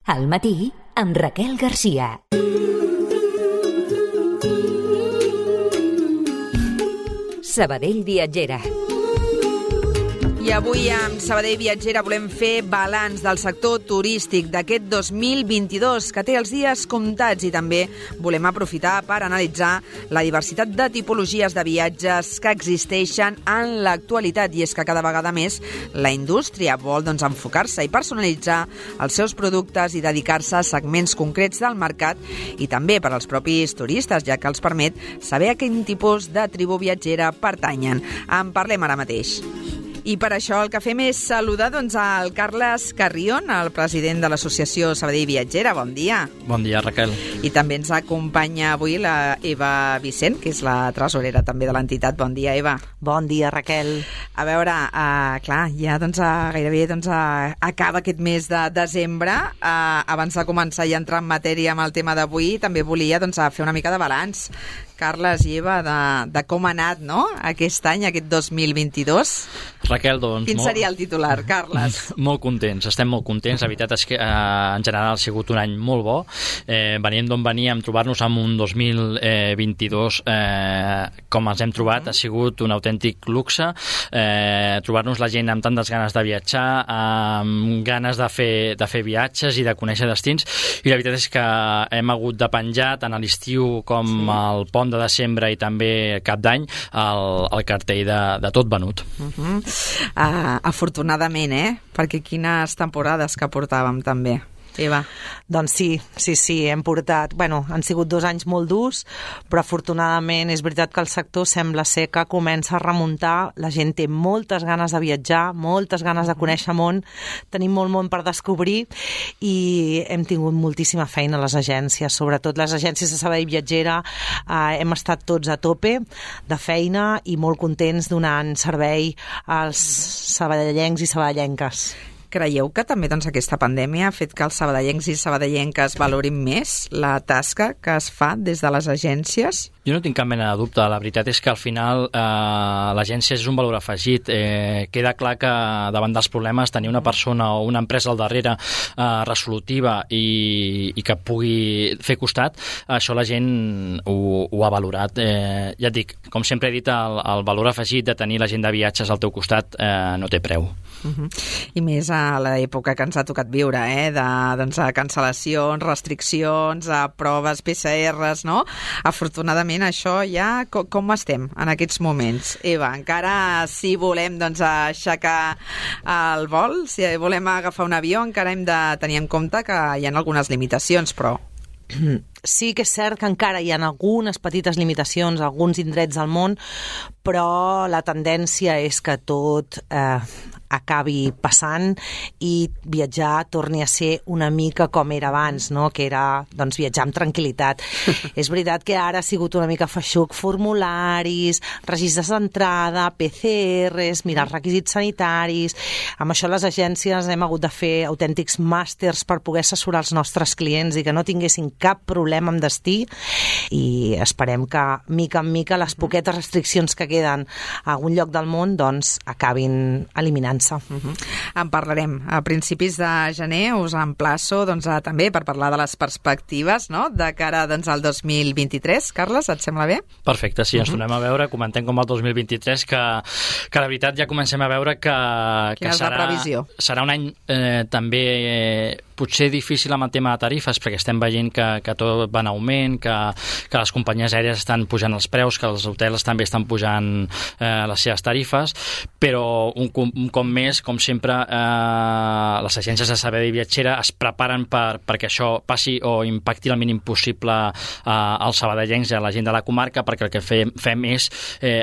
Al matí, amb Raquel Garcia. Sabadell Viatgera. I avui amb Sabadell Viatgera volem fer balanç del sector turístic d'aquest 2022, que té els dies comptats, i també volem aprofitar per analitzar la diversitat de tipologies de viatges que existeixen en l'actualitat. I és que cada vegada més la indústria vol enfocar-se i personalitzar els seus productes i dedicar-se a segments concrets del mercat, i també per als propis turistes, ja que els permet saber a quin tipus de tribu viatgera pertanyen. En parlem ara mateix. I per això el que fem és saludar al Carles Carrion, el president de l'associació Sabadell Viatgera. Bon dia. Bon dia, Raquel. I també ens acompanya avui la Eva Vicent, que és la tresorera també de l'entitat. Bon dia, Eva. Bon dia, Raquel. A veure, clar, ja gairebé acaba aquest mes de desembre. Abans de començar i entrar en matèria amb el tema d'avui, també volia fer una mica de balanç, Carles i Eva, de com ha anat, no?, aquest any, aquest 2022. Raquel, doncs... Quin seria el titular, Carles? Molt contents, estem molt contents. La veritat és que en general ha sigut un any molt bo. Veníem d'on veníem, trobar-nos amb un 2022 com ens hem trobat, ha sigut un autèntic luxe. Trobar-nos la gent amb tantes ganes de viatjar, amb ganes de fer viatges i de conèixer destins. I la veritat és que hem hagut de penjar tant a l'estiu com al pont de desembre i també cap d'any el cartell de tot venut. Afortunadament, perquè quines temporades que portàvem també, Eva. Doncs sí, hem portat... han sigut 2 anys molt durs, però afortunadament és veritat que el sector sembla ser que comença a remuntar. La gent té moltes ganes de viatjar, moltes ganes de conèixer món, tenim molt món per descobrir i hem tingut moltíssima feina a les agències, sobretot les agències de Sabadell Viatgera. Hem estat tots a tope de feina i molt contents donant servei als sabadellencs i sabadellenques. Creieu que també aquesta pandèmia ha fet que els sabadellencs i sabadellenques valorin més la tasca que es fa des de les agències? Jo no tinc cap mena de dubte. La veritat és que al final l'agència és un valor afegit. Queda clar que davant dels problemes tenir una persona o una empresa al darrere resolutiva i que pugui fer costat, això la gent ho ha valorat. Ja et dic, com sempre he dit, el valor afegit de tenir la gent de viatges al teu costat no té preu. I més a l'època que ens ha tocat viure, de cancel·lacions, restriccions, proves PCRs, no? Afortunadament això ja... Com estem en aquests moments? Eva, encara si volem aixecar el vol, si volem agafar un avió, encara hem de tenir en compte que hi ha algunes limitacions, però... Sí que és cert que encara hi ha algunes petites limitacions a alguns indrets del món, però la tendència és que tot acabi passant i viatjar torni a ser una mica com era abans, no? Que era viatjar amb tranquil·litat. És veritat que ara ha sigut una mica feixuc, formularis, registres d'entrada, PCRs, mirar els requisits sanitaris. Amb això les agències hem hagut de fer autèntics màsters per poder assessorar els nostres clients i que no tinguessin cap problema amb destí, i esperem que mica en mica les poquetes restriccions que queden a algun lloc del món acabin eliminant-se. En parlarem a principis de gener. Us emplaço també per parlar de les perspectives, no?, de cara al 2023. Carles, et sembla bé? Perfecte, sí, ens tornem a veure, comentem com el 2023, que la veritat ja comencem a veure que serà un any també potser difícil amb el tema de tarifes, perquè estem veient que tot va en augment, que les companyies aèries estan pujant els preus, que els hotels també estan pujant les seves tarifes, però un cop més, com sempre, les agències de Sabadell Viatgera es preparen perquè això passi o impacti el mínim possible als sabadellencs i a la gent de la comarca, perquè el que fem és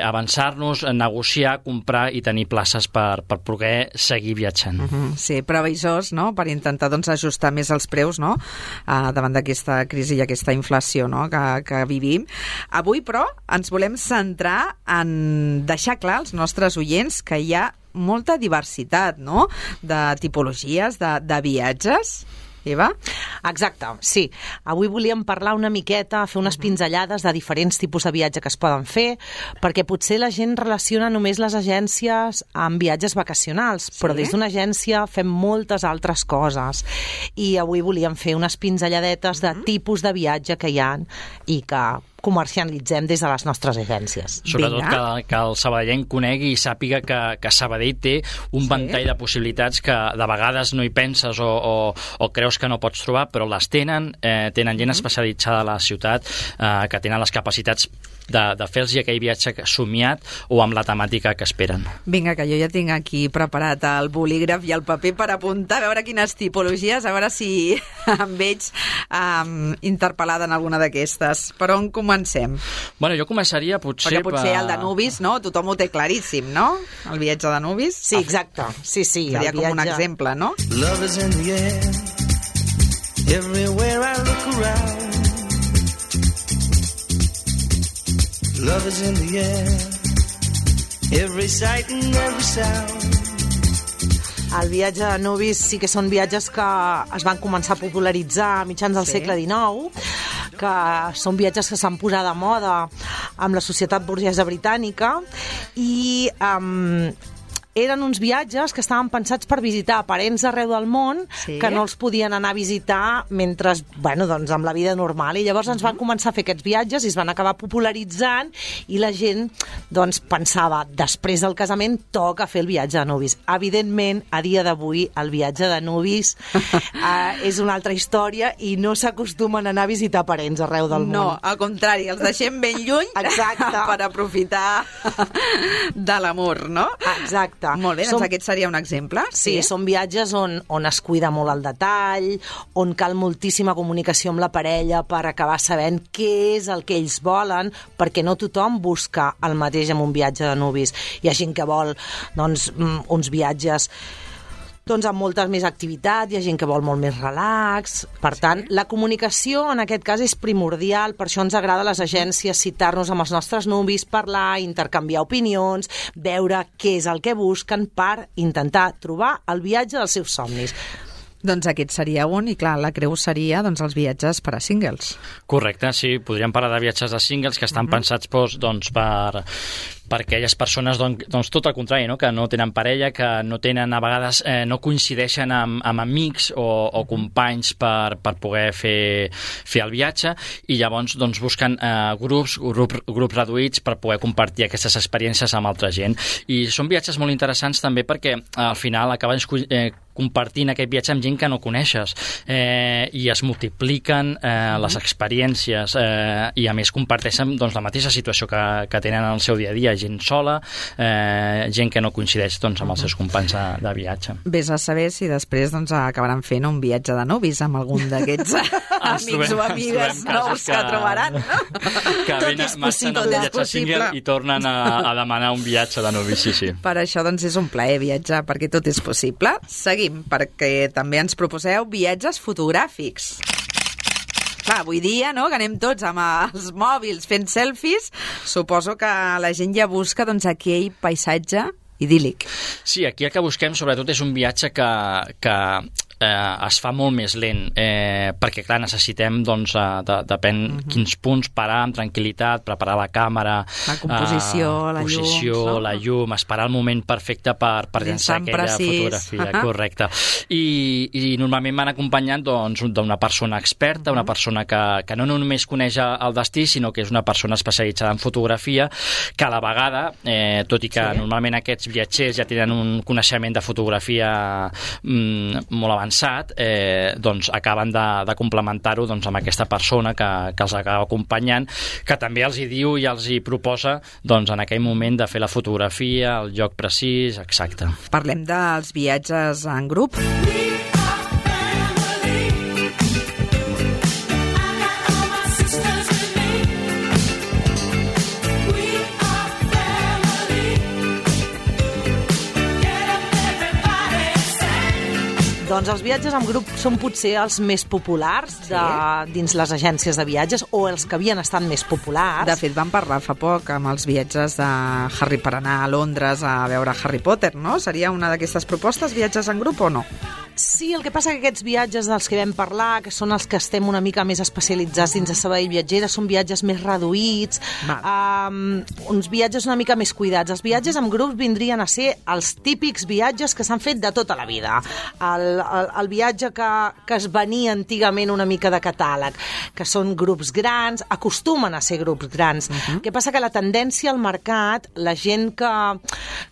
avançar-nos, negociar, comprar i tenir places per poder seguir viatjant. Sí, previsors, no?, per intentar ajustar més els preus, no?, davant d'aquesta crisi i aquesta inflació, no?, que vivim. Avui, però, ens volem centrar en deixar clar als nostres oients que hi ha molta diversitat, no?, de tipologies de viatges. Eva? Exacte, sí. Avui volíem parlar una miqueta, fer unes pinzellades de diferents tipus de viatge que es poden fer, perquè potser la gent relaciona només les agències amb viatges vacacionals, però des d'una agència fem moltes altres coses. I avui volíem fer unes pinzelladetes de tipus de viatge que hi ha i que comercialitzem des de les nostres agències. Sobretot que el sabadellenc conegui i sàpiga que Sabadell té un ventall de possibilitats que de vegades no hi penses o creus que no pots trobar, però les tenen gent especialitzada a la ciutat que tenen les capacitats de fer-los aquell viatge somiat o amb la temàtica que esperen. Vinga, que jo ja tinc aquí preparat el bolígraf i el paper per apuntar, a veure quines tipologies, a veure si em veig interpel·lada en alguna d'aquestes. Per on comencem? Bueno, jo començaria potser... Perquè potser el de Nubis, no? Tothom ho té claríssim, no? El viatge de Nubis. Sí, exacte. Sí, seria com un exemple, no? Love is in the air, everywhere I look around. Love is in the air, every sight and every sound. El viatge de Nubis sí que són viatges que es van començar a popularitzar a mitjans del segle XIX, que són viatges que s'han posat de moda amb la societat burgesa britànica i eren uns viatges que estaven pensats per visitar parents arreu del món que no els podien anar a visitar mentre, doncs amb la vida normal. I llavors ens van començar a fer aquests viatges i es van acabar popularitzant i la gent doncs pensava, després del casament toca fer el viatge de Nubis. Evidentment, a dia d'avui, el viatge de Nubis és una altra història i no s'acostumen a anar a visitar parents arreu del món. No, al contrari, els deixem ben lluny per aprofitar de l'amor, no? Exacte. Molt bé, doncs aquest seria un exemple. Sí, són viatges on es cuida molt el detall, on cal moltíssima comunicació amb la parella per acabar sabent què és el que ells volen, perquè no tothom busca el mateix en un viatge de Nubis. Hi ha gent que vol uns viatges amb molta més activitat, hi ha gent que vol molt més relax. Per tant, la comunicació en aquest cas és primordial, per això ens agrada a les agències citar-nos amb els nostres nubis, parlar, intercanviar opinions, veure què és el que busquen per intentar trobar el viatge dels seus somnis. Doncs aquest seria un, i clar, la creu seria els viatges per a singles. Correcte, sí, podríem parlar de viatges de singles que estan pensats per aquelles persones, tot el contrari, no? Que no tenen parella, que no tenen, a vegades no coincideixen amb amics o companys per poder fer el viatge, i llavors busquen grups reduïts per poder compartir aquestes experiències amb altra gent. I són viatges molt interessants també perquè al final acaben compartint aquest viatge amb gent que no coneixes i es multipliquen les experiències i a més comparteixen la mateixa situació que tenen en el seu dia a dia, gent sola, gent que no coincideix amb els seus companys de viatge. Vés a saber si després acabaran fent un viatge de nubis amb algun d'aquests amics o amigues nous que trobaran. Que marxen un viatge single i tornen a demanar un viatge de nubis, sí. Per això és un plaer viatjar, perquè tot és possible. Seguim, perquè també ens proposeu viatges fotogràfics. Clar, avui dia, no?, que anem tots amb els mòbils fent selfies, suposo que la gent ja busca aquell paisatge idíl·lic. Sí, aquí el que busquem sobretot és un viatge que es fa molt més lent, perquè clar, necessitem depèn quins punts parar amb tranquil·litat, preparar la càmera, la composició, la llum, esperar el moment perfecte per llançar aquella fotografia, correcte. I normalment van acompanyant d'una persona experta, una persona que no només coneix el destí, sinó que és una persona especialitzada en fotografia, que a la vegada, tot i que normalment aquests viatgers ja tenen un coneixement de fotografia molt avançat, acaben de complementar-ho amb aquesta persona que els acaba acompanyant, que també els hi diu i els hi proposa en aquell moment de fer la fotografia, el lloc precís, exacte. Parlem dels viatges en grup. Doncs els viatges en grup són potser els més populars dins les agències de viatges, o els que havien estat més populars. De fet, vam parlar fa poc amb els viatges de Harry per anar a Londres a veure Harry Potter, no? Seria una d'aquestes propostes, viatges en grup o no? Sí, el que passa que aquests viatges dels que vam parlar, que són els que estem una mica més especialitzats dins de Sabadell Viatgera, són viatges més reduïts, uns viatges una mica més cuidats. Els viatges amb grups vindrien a ser els típics viatges que s'han fet de tota la vida. El viatge que es venia antigament una mica de catàleg, que són grups grans, acostumen a ser grups grans. El que passa que la tendència al mercat, la gent que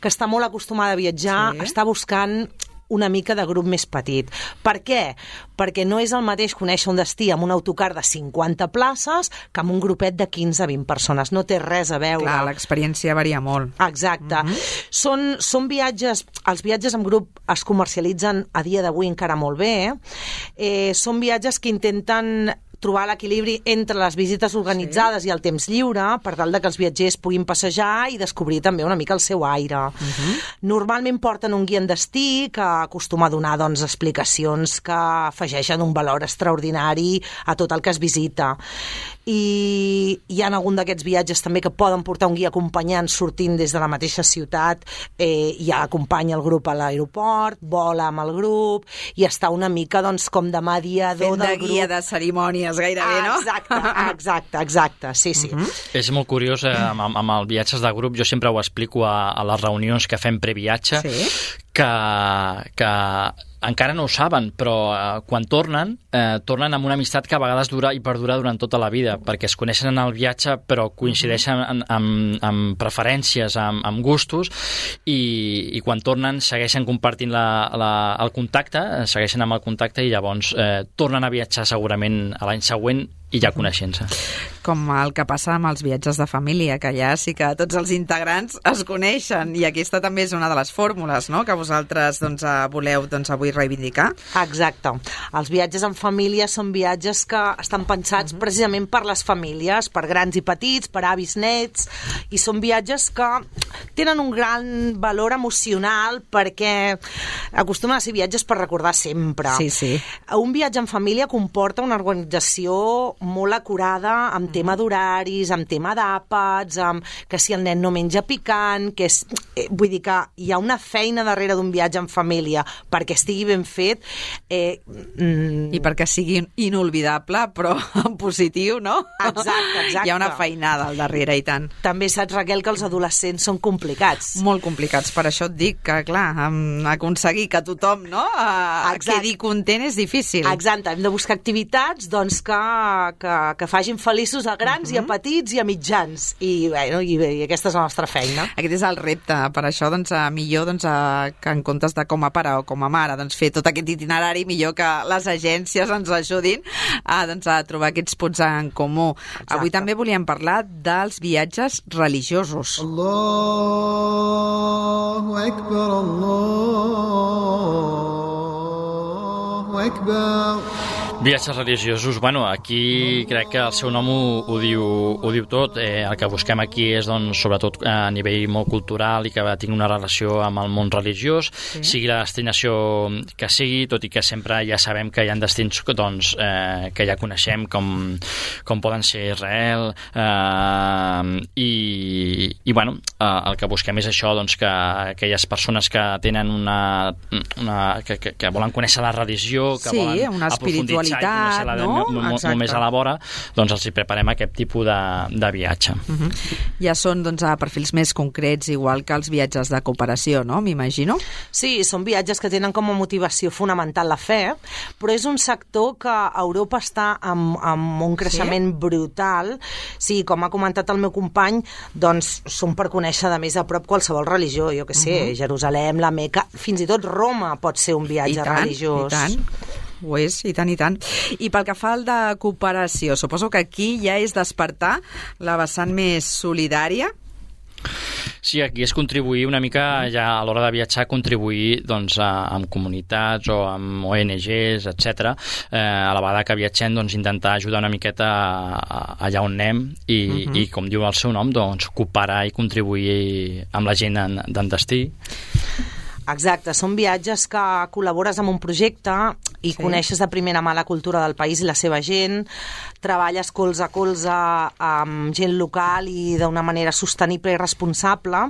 està molt acostumada a viatjar, està buscant una mica de grup més petit. Per què? Perquè no és el mateix conèixer un destí amb un autocar de 50 places que amb un grupet de 15-20 persones. No té res a veure. Clar, l'experiència varia molt. Exacte. Són viatges... Els viatges en grup es comercialitzen a dia d'avui encara molt bé. Són viatges que intenten trobar l'equilibri entre les visites organitzades i el temps lliure per tal que els viatgers puguin passejar i descobrir també una mica el seu aire. Normalment porten un guia en destí que acostuma a donar explicacions que afegeixen un valor extraordinari a tot el que es visita. I hi ha algun d'aquests viatges també que poden portar un guia acompanyant sortint des de la mateixa ciutat, ja acompanya el grup a l'aeroport, vola amb el grup i està una mica com de mediador del grup. Fent de guia de cerimònies gairebé, no? Exacte, sí. És molt curiós, amb els viatges de grup, jo sempre ho explico a les reunions que fem previatge, que encara no ho saben, però quan tornen amb una amistat que a vegades dura i perdura durant tota la vida, perquè es coneixen en el viatge però coincideixen amb preferències, amb gustos, i quan tornen segueixen compartint el contacte, segueixen amb el contacte i llavors tornen a viatjar segurament a l'any següent i ja coneixent-se. Com el que passa amb els viatges de família, que allà sí que tots els integrants es coneixen, i aquesta també és una de les fórmules, no?, que vosaltres voleu avui reivindicar. Exacte. Els viatges en família són viatges que estan pensats precisament per les famílies, per grans i petits, per avis nets, i són viatges que tenen un gran valor emocional perquè acostumen a ser viatges per recordar sempre. Sí. Un viatge en família comporta una organització molt acurada amb tema d'horaris, amb tema d'àpats, que si el nen no menja picant, vull dir que hi ha una feina darrere d'un viatge en família perquè estigui ben fet. I perquè sigui inolvidable, però en positiu, no? Exacte. Hi ha una feinada al darrere, i tant. També saps, Raquel, que els adolescents són complicats. Molt complicats, per això et dic que, clar, aconseguir que tothom quedi content és difícil. Exacte, hem de buscar activitats que facin feliços a grans i a petits i a mitjans, i aquesta és la nostra feina. Aquest és el repte, per això millor que en comptes de com a pare o com a mare fer tot aquest itinerari, millor que les agències ens ajudin a trobar aquests punts en comú. Exacte. Avui també volíem parlar dels viatges religiosos. Allahu Akbar, Allahu Akbar. Viatges religiosos, aquí crec que el seu nom ho diu tot. El que busquem aquí és, sobretot a nivell molt cultural i que tingui una relació amb el món religiós, sigui la destinació que sigui, tot i que sempre ja sabem que hi ha destins que ja coneixem, com poden ser Israel, el que busquem és això, que aquelles persones que tenen que volen conèixer la religió, que volen una espiritualitat, molt més a la vora, els hi preparem aquest tipus de viatge. Ja són a perfils més concrets, igual que els viatges de cooperació, no? M'imagino. Sí, són viatges que tenen com a motivació fonamental la fe, però és un sector que a Europa està amb un creixement brutal. Sí, com ha comentat el meu company, són per conèixer de més a prop qualsevol religió, jo què sé, Jerusalem, la Meca, fins i tot Roma pot ser un viatge religiós. I tant. Ho és, i tant. I pel que fa al de cooperació, suposo que aquí ja és despertar la vessant més solidària? Sí, aquí és contribuir una mica, ja a l'hora de viatjar, contribuir amb comunitats o amb ONGs, etc. A la vegada que viatgem, intentar ajudar una miqueta allà on anem i com diu el seu nom, cooperar i contribuir amb la gent d'en destí. Exacte, són viatges que col·labores amb un projecte i coneixes de primera mà la cultura del país i la seva gent, treballes colze a colze amb gent local i d'una manera sostenible i responsable,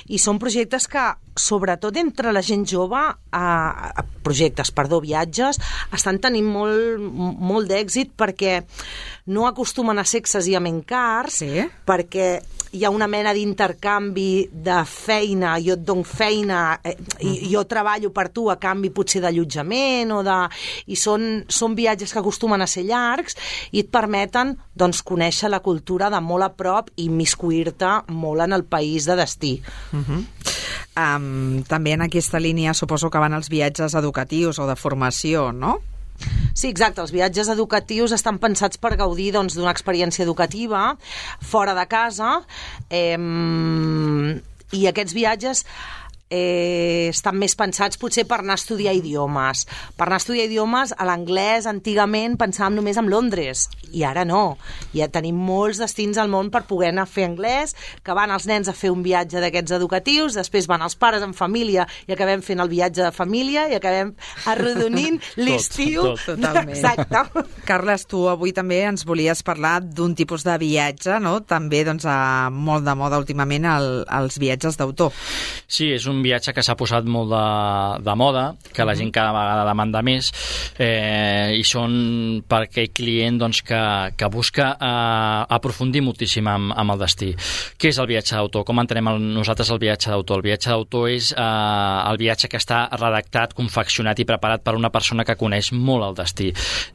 i són projectes que, sobretot entre la gent jove, viatges, estan tenint molt d'èxit perquè no acostumen a ser excessivament cars, perquè hi ha una mena d'intercanvi de feina, jo et dono feina i jo treballo per tu a canvi potser d'allotjament i són viatges que acostumen a ser llargs i et permeten doncs, conèixer la cultura de molt a prop i immiscuir-te molt en el país de destí. També en aquesta línia suposo que van els viatges educatius o de formació, no? Sí, exacte. Els viatges educatius estan pensats per gaudir doncs, d'una experiència educativa fora de casa i aquests viatges estan més pensats potser per anar a estudiar idiomes. Per anar a estudiar idiomes, a l'anglès antigament pensàvem només en Londres i ara no. Ja tenim molts destins al món per poder anar a fer anglès, que van els nens a fer un viatge d'aquests educatius, després van els pares en família i acabem fent el viatge de família i acabem arrodonint l'estiu. Totalment. Exacte. Carles, tu avui també ens volies parlar d'un tipus de viatge, no? També doncs, molt de moda últimament els viatges d'autor. Sí, és un viatge que s'ha posat molt de moda, que la gent cada vegada demanda més, i són per aquell client doncs, que busca aprofundir moltíssim amb el destí. Què és el viatge d'autor? Com entenem nosaltres el viatge d'autor? El viatge d'autor és el viatge que està redactat, confeccionat i preparat per una persona que coneix molt el destí.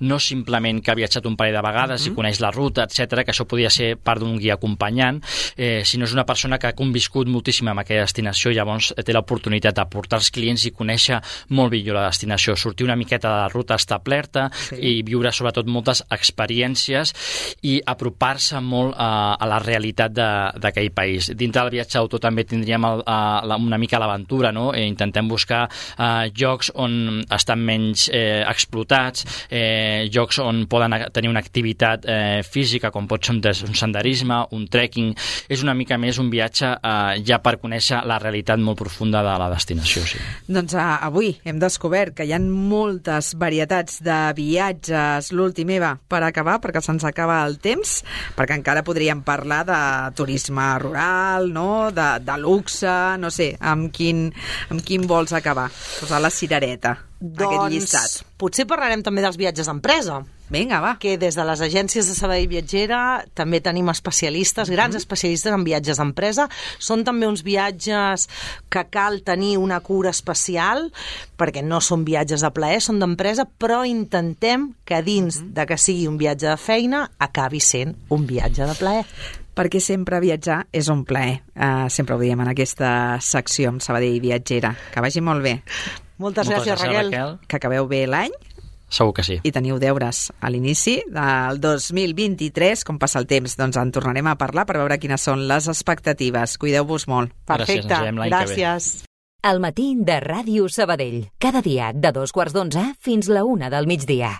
No simplement que ha viatjat un parell de vegades i coneix la ruta, etc, que això podria ser part d'un guia acompanyant, sinó és una persona que ha conviscut moltíssim amb aquella destinació, llavors té l'oportunitat de portar els clients i conèixer molt millor la destinació, sortir una miqueta de la ruta establerta i viure sobretot moltes experiències i apropar-se molt a la realitat d'aquell país. Dintre del viatge d'autor també tindríem una mica l'aventura, no? Intentem buscar llocs on estan menys explotats, llocs on poden tenir una activitat física, com pot ser un senderisme, un trekking. És una mica més un viatge ja per conèixer la realitat molt profunda de la destinació, sí. Doncs avui hem descobert que hi ha moltes varietats de viatges. L'últim, Eva, per acabar, perquè se'ns acaba el temps, perquè encara podríem parlar de turisme rural, no? De luxe, no sé, amb quin vols acabar? Posar la cirereta, aquest llistat. Potser parlarem també dels viatges d'empresa. Vinga, va. Que des de les agències de Sabadell Viatgera també tenim especialistes, grans especialistes en viatges d'empresa. Són també uns viatges que cal tenir una cura especial, perquè no són viatges de plaer, són d'empresa, però intentem que dins de que sigui un viatge de feina acabi sent un viatge de plaer. Perquè sempre viatjar és un plaer. Sempre ho diem en aquesta secció amb Sabadell Viatgera. Que vagi molt bé. Moltes gràcies, Raquel. Que acabeu bé l'any. Segur que sí. I teniu deures a l'inici del 2023. Com passa el temps, doncs en tornarem a parlar per veure quines són les expectatives. Cuideu-vos molt. Perfecte, gràcies. El matí de Ràdio Sabadell. Cada dia de 2:15 fins la 1 del migdia.